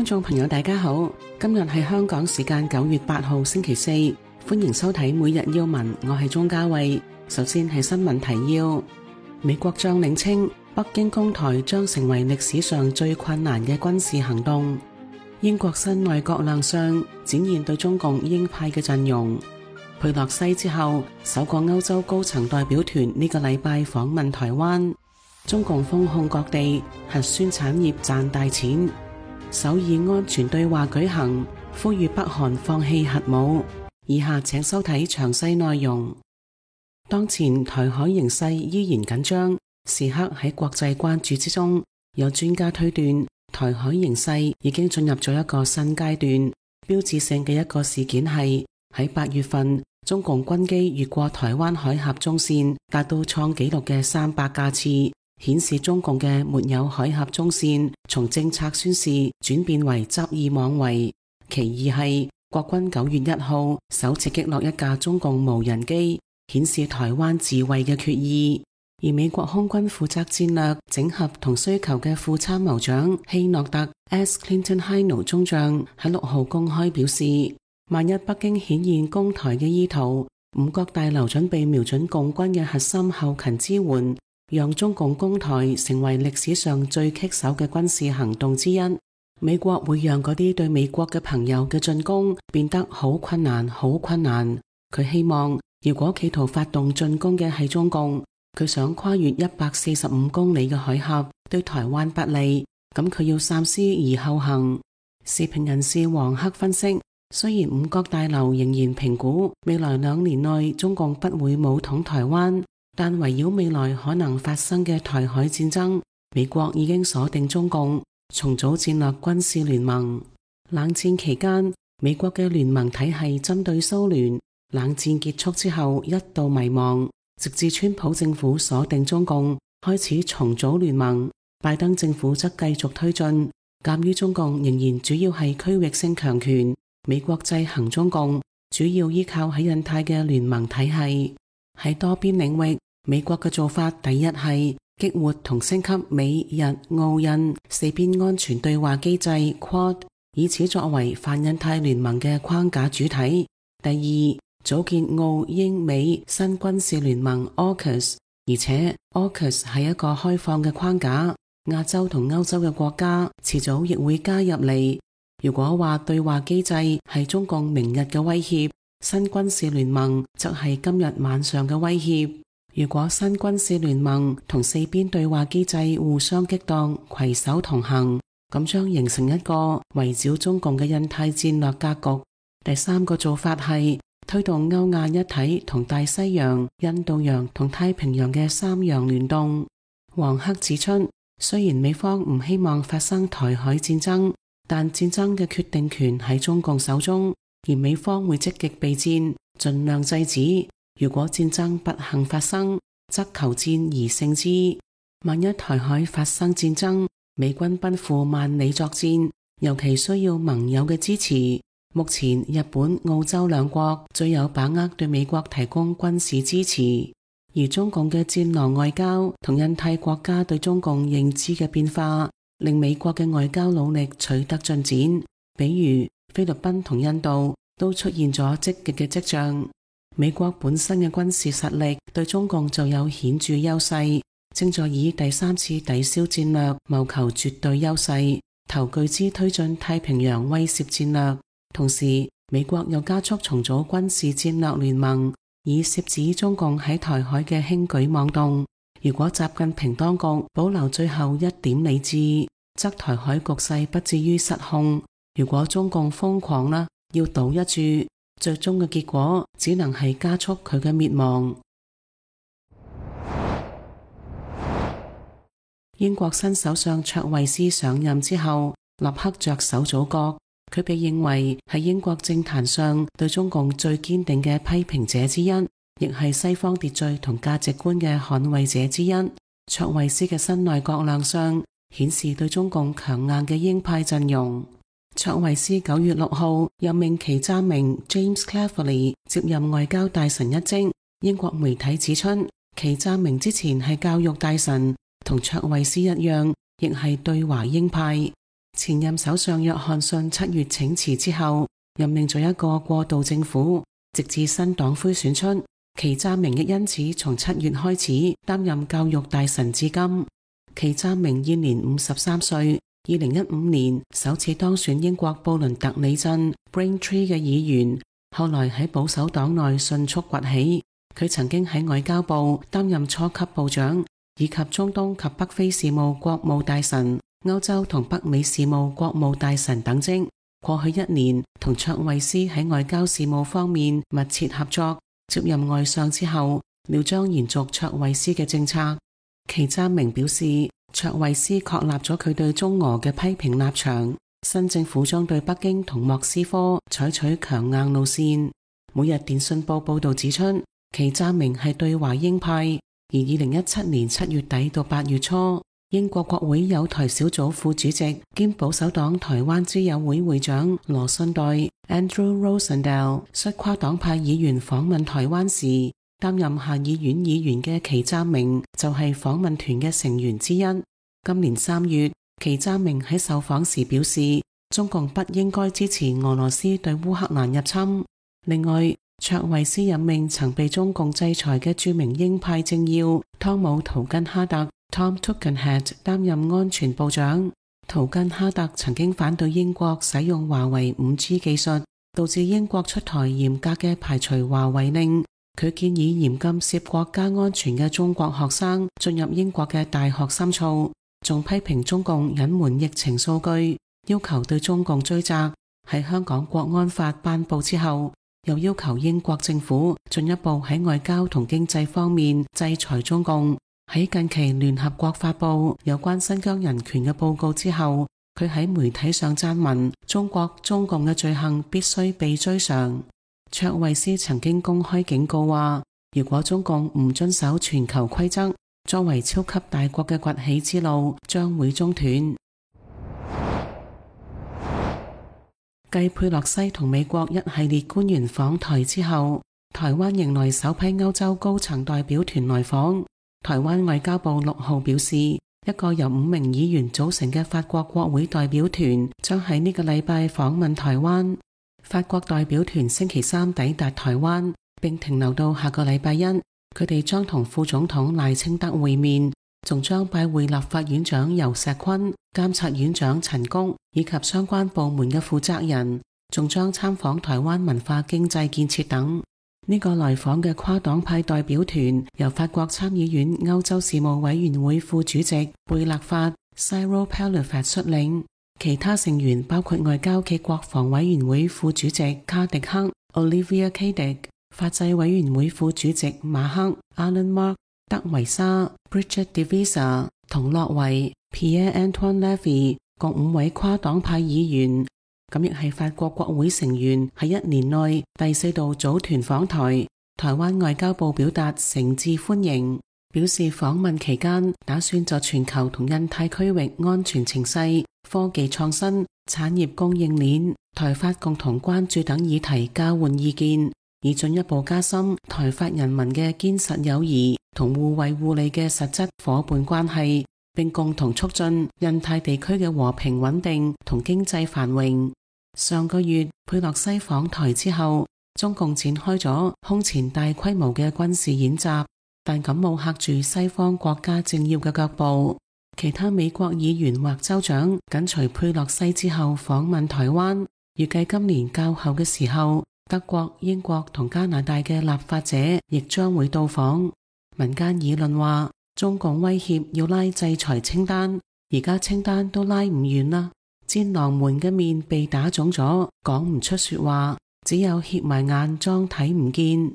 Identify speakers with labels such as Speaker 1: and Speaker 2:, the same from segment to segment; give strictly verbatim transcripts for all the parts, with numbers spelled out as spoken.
Speaker 1: 觀眾朋友大家好，今日係香港時間九月八號星期四，歡迎收睇每日要聞，我係鍾嘉慧。首先係新聞提要，美國將領稱北京攻台將成為歷史上最困難嘅軍事行動。英國新內閣亮相，展現對中共鷹派嘅陣容。佩洛西之後，首個歐洲高層代表團呢個禮拜訪問台灣。中共封控各地，核酸產業賺大錢。首爾安全對話舉行，呼籲北韓放棄核武。以下請收睇詳細內容。當前台海形勢依然緊張，時刻喺國際關注之中。有專家推斷，台海形勢已經進入咗一個新階段。標誌性嘅一個事件係喺八月份，中共軍機越過台灣海峽中線，達到創紀錄嘅三百架次。顯示中共嘅沒有海峽中線從政策宣示轉變為執意妄為。其二係國軍九月一號首次擊落一架中共無人機，顯示台灣自衛嘅決意。而美國空軍負責戰略整合同需求嘅副參謀長希諾特 S. Clinton Hino 中將喺六號公開表示，萬一北京顯現攻台嘅意圖，五角大樓準備瞄準共軍嘅核心後勤支援，讓中共攻台成為歷史上最棘手嘅軍事行動之一。美國會讓嗰啲對美國嘅朋友嘅進攻變得好困難，好困難。佢希望，如果企圖發動進攻嘅係中共，佢想跨越一百四十五公里嘅海峽，對台灣不利，咁佢要三思而後行。時評人士黃克分析，雖然五角大樓仍然評估未來兩年內中共不會武統台灣，但圍繞未來可能發生嘅台海戰爭，美國已經鎖定中共，重組戰略軍事聯盟。冷戰期間，美國嘅聯盟體系針對蘇聯，冷戰結束之後一度迷茫，直至川普政府鎖定中共，開始重組聯盟。拜登政府則繼續推進。鑒於中共仍然主要係區域性強權，美國制衡中共主要依靠喺印太嘅聯盟體系。喺多邊領域，美國嘅做法第一係激活同升級美日澳印四邊安全對話機制 Quad， 以此作為泛印太聯盟嘅框架主體。第二，組建澳英美新軍事聯盟 AUKUS， 而且 AUKUS 係一個開放嘅框架，亞洲同歐洲嘅國家遲早亦會加入嚟。如果話對話機制係中共明日嘅威脅，新軍事聯盟則係今日晚上嘅威脅。如果新軍事聯盟同四邊對話機制互相激盪，攜手同行，咁將形成一個圍繞中共嘅印太戰略格局。第三個做法係推動歐亞一體同大西洋、印度洋同太平洋嘅三洋聯動。黃克指出，雖然美方唔希望發生台海戰爭，但戰爭嘅決定權喺中共手中，而美方會積極備戰，盡量制止。如果戰爭不幸發生，則求戰而勝之。萬一台海發生戰爭，美軍奔赴萬里作戰，尤其需要盟友嘅支持。目前日本、澳洲兩國最有把握對美國提供軍事支持，而中共嘅戰狼外交同印太國家對中共認知嘅變化，令美國嘅外交努力取得進展。比如菲律賓同印度都出現咗積極嘅跡象。美國本身嘅軍事實力對中共就有顯著優勢，正在以第三次抵消戰略謀求絕對優勢，投巨資推進太平洋威懾戰略。同時，美國又加速重組軍事戰略聯盟，以懾止中共喺台海嘅輕舉妄動。如果習近平當局保留最後一點理智，則台海局勢不至於失控。如果中共瘋狂啦，要賭一注，最終嘅結果只能係加速佢嘅滅亡。英國新首相卓慧思上任之後，立刻着手組閣。佢被認為係英國政壇上對中共最堅定嘅批評者之一，亦係西方秩序同價值觀嘅捍衛者之一。卓慧思嘅新內閣亮相，顯示對中共強硬嘅鷹派陣容。卓慧思九月六號任命祁湛明 James Cleverly 接任外交大臣一職。英國媒體指出，祁湛明之前係教育大臣，同卓慧思一樣，亦係對華鷹派。前任首相約翰遜七月請辭之後，任命咗一個過渡政府，直至新黨魁選出。祁湛明亦因此從七月開始擔任教育大臣至今。祁湛明現年五十三歲，二零一五年首次當選英國布倫特里鎮 Braintree 嘅議員，後來喺保守黨內迅速崛起。佢曾經喺外交部擔任初級部長，以及中東及北非事務國務大臣、歐洲同北美事務國務大臣等職。過去一年，同卓慧思喺外交事務方面密切合作。接任外相之後，料將延續卓慧思嘅政策。祁湛明表示，卓慧思確立咗佢對中俄嘅批評立場，新政府將對北京同莫斯科採取強硬路線。每日電訊報報道指出，祁湛明係對華鷹派，而二零一七年七月底到八月初，英國國會友台小組副主席兼保守黨台灣之友會會長羅信代 Andrew Rosendale 率跨黨派議員訪問台灣時，擔任下議院議員嘅祁湛明就係訪問團嘅成員之一。今年三月，祁湛明喺受訪時表示，中共不應該支持俄羅斯對烏克蘭入侵。另外，卓慧思任命曾被中共制裁嘅著名鷹派政要湯姆圖根哈特 Tom Tugendhat 擔任安全部長。圖根哈特曾經反對英國使用華為 五 G 技術，導致英國出台嚴格嘅排除華為令。佢建議嚴禁涉國家安全嘅中國學生進入英國嘅大學深造，仲批評中共隱瞞疫情數據，要求對中共追責。喺香港國安法頒布之後，又要求英國政府進一步喺外交同經濟方面制裁中共。喺近期聯合國發布有關新疆人權嘅報告之後，佢喺媒體上撰文，中國中共嘅罪行必須被追償。卓慧思曾經公開警告話，如果中共唔遵守全球規則，作為超級大國嘅崛起之路將會中斷。繼佩洛西同美國一系列官員訪台之後，台灣迎來首批歐洲高層代表團來訪。台灣外交部六號表示，一個由五名議員組成嘅法國國會代表團將喺呢個禮拜訪問台灣。法國代表團星期三抵達台灣，並停留到下個禮拜一。佢哋將同副總統賴清德會面，仲將拜會立法院長游錫堃、監察院長陳菊以及相關部門嘅負責人，仲將參訪台灣文化經濟建設等。呢個來訪嘅跨黨派代表團由法國參議院歐洲事務委員會副主席貝勒法 Cyril Pelliffat 率領，其他成員包括外交暨國防委員會副主席卡迪克 Olivier Cadic、法制委員會副主席馬克 Alan Mark、德維沙 Bridget Devisa 同洛維 Pierre-Antoine Levy 共五位跨黨派議員。咁亦係法國國會成員喺一年內第四度組團訪台。台灣外交部表達誠摯歡迎，表示訪問期間打算就全球同印太區域安全情勢、科技創新、產業供應鏈、台法共同關注等議題交換意見，以進一步加深台法人民嘅堅實友誼同互惠互利嘅實質夥伴關係，並共同促進印太地區嘅和平穩定同經濟繁榮。上個月佩洛西訪台之後，中共展開咗空前大規模嘅軍事演習，但咁冇嚇住西方國家政要嘅腳步。其他美國議員或州長緊隨佩洛西之後訪問台灣，預計今年較後嘅時候，德國、英國同加拿大嘅立法者亦將會到訪。民間議論話，中共威脅要拉制裁清單，而家清單都拉唔完啦。戰狼們嘅面被打腫咗，講唔出說話，只有瞌埋眼裝睇唔見。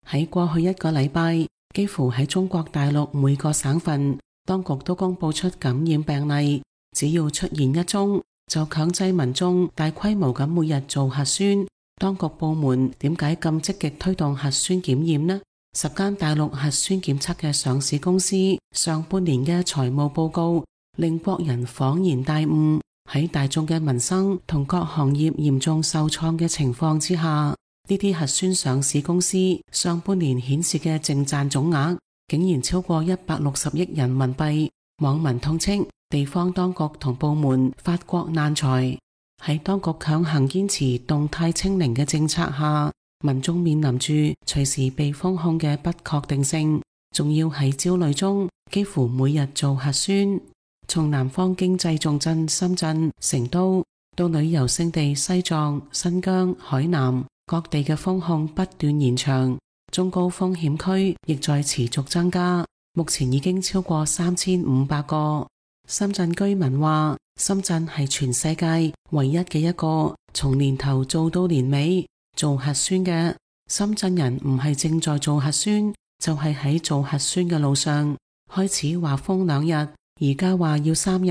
Speaker 1: 喺過去一個禮拜，幾乎喺中國大陸每個省份，當局都公布出感染病例，只要出現一宗，就強制民眾大規模咁每日做核酸。當局部門點解咁積極推動核酸檢驗呢？十間大陸核酸檢測嘅上市公司上半年嘅財務報告令國人恍然大悟。喺大眾嘅民生同各行業嚴重受創嘅情況之下，呢啲核酸上市公司上半年顯示嘅淨賺總額竟然超過一百六十億人民幣，網民痛斥地方當局同部門發國難財。喺當局強行堅持動態清零嘅政策下，民眾面臨住隨時被封控嘅不確定性，仲要喺焦慮中幾乎每日做核酸。從南方經濟重鎮深圳、成都到旅遊勝地西藏、新疆、海南，各地嘅封控不斷延長，中高風險區亦在持續增加，目前已經超過三千五百個。深圳居民話，深圳係全世界唯一嘅一個從年頭做到年尾做核酸嘅。深圳人唔係正在做核酸，就係喺做核酸嘅路上。開始話封兩日，而家話要三日，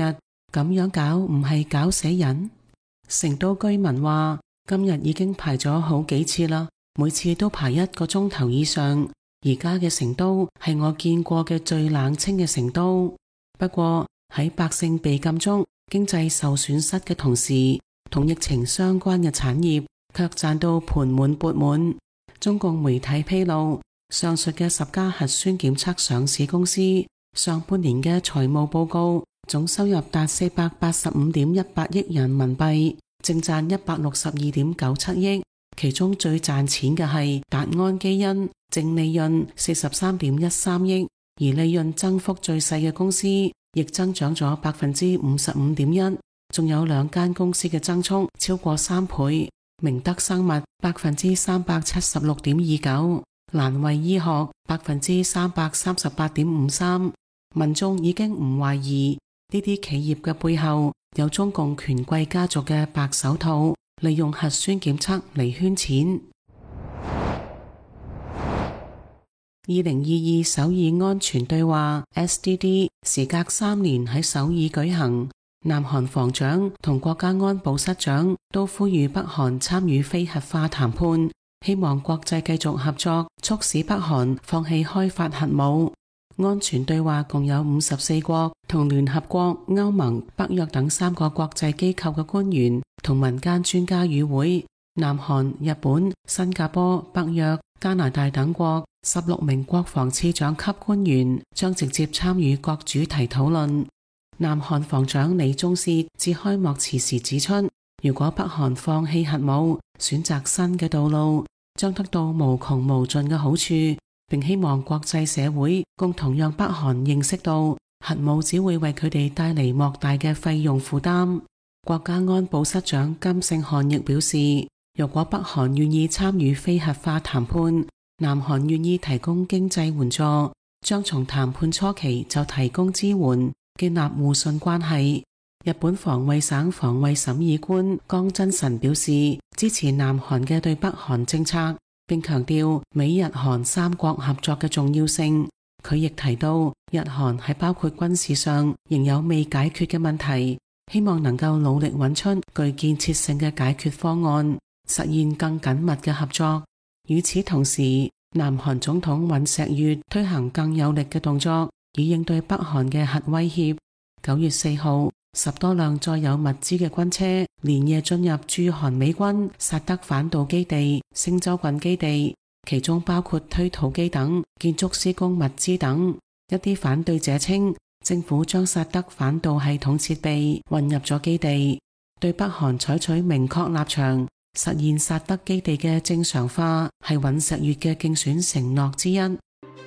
Speaker 1: 咁樣搞唔係搞死人？成都居民話，今日已經排咗好幾次啦，每次都排一個鐘頭以上。而家嘅成都係我見過嘅最冷清嘅成都。不過喺百姓被禁足、經濟受損失嘅同時，同疫情相關嘅產業卻賺到盆滿缽滿。中共媒體披露，上述嘅十家核酸檢測上市公司上半年嘅財務報告總收入達四百八十五點一八億人民幣，淨賺一百六十二點九七億。其中最賺錢嘅係達安基因，淨利潤四十三點一三億，而利潤增幅最細嘅公司亦增長咗百分之五十五點一，仲有兩間公司嘅增速超過三倍，明德生物百分之三百七十六點二九，蘭惠醫學百分之三百三十八點五三。民眾已經唔懷疑呢啲企業嘅背後有中共權貴家族嘅白手套，利用核酸檢測嚟圈錢。二零二二首爾安全對話 S D D 時隔三年喺首爾舉行，南韓防長同國家安保室長都呼籲北韓參與非核化談判，希望國際繼續合作，促使北韓放棄開發核武。安全對話共有五十四國同聯合國、歐盟、北約等三個國際機構嘅官員同民間專家與會。南韓、日本、新加坡、北約、加拿大等國十六名國防次長級官員將直接參與各主題討論。南韓防長李鐘燮致開幕辭時指出，如果北韓放棄核武，選擇新嘅道路，將得到無窮無盡嘅好處，並希望國際社會共同讓北韓認識到核武只會為佢哋帶嚟莫大嘅費用負擔。國家安保室長金聖漢亦表示，如果北韓願意參與非核化談判，南韓願意提供經濟援助，將從談判初期就提供支援，建立互信關係。日本防衛省防衛審議官江真臣表示，支持南韓嘅對北韓政策，並強調美日韓三國合作嘅重要性。佢亦提到，日韓喺包括軍事上仍有未解決嘅問題，希望能夠努力揾出具建設性嘅解決方案，實現更緊密嘅合作。與此同時，南韓總統尹錫悅推行更有力嘅動作，以應對北韓嘅核威脅。九月四號，十多輛載有物資嘅軍車連夜進入駐韓美軍薩德反導基地、星洲郡基地，其中包括推土機等建築施工物資等。一啲反對者稱，政府將薩德反導系統設備運入咗基地，對北韓採取明確立場，實現薩德基地嘅正常化係尹錫悅嘅競選承諾之一。呢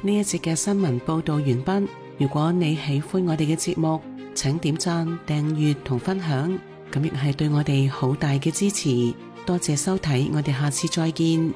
Speaker 1: 一節嘅新聞報道完畢。如果你喜歡我哋嘅節目，請點讚、訂閱同分享，咁亦係對我哋好大嘅支持。多謝收睇，我哋下次再見。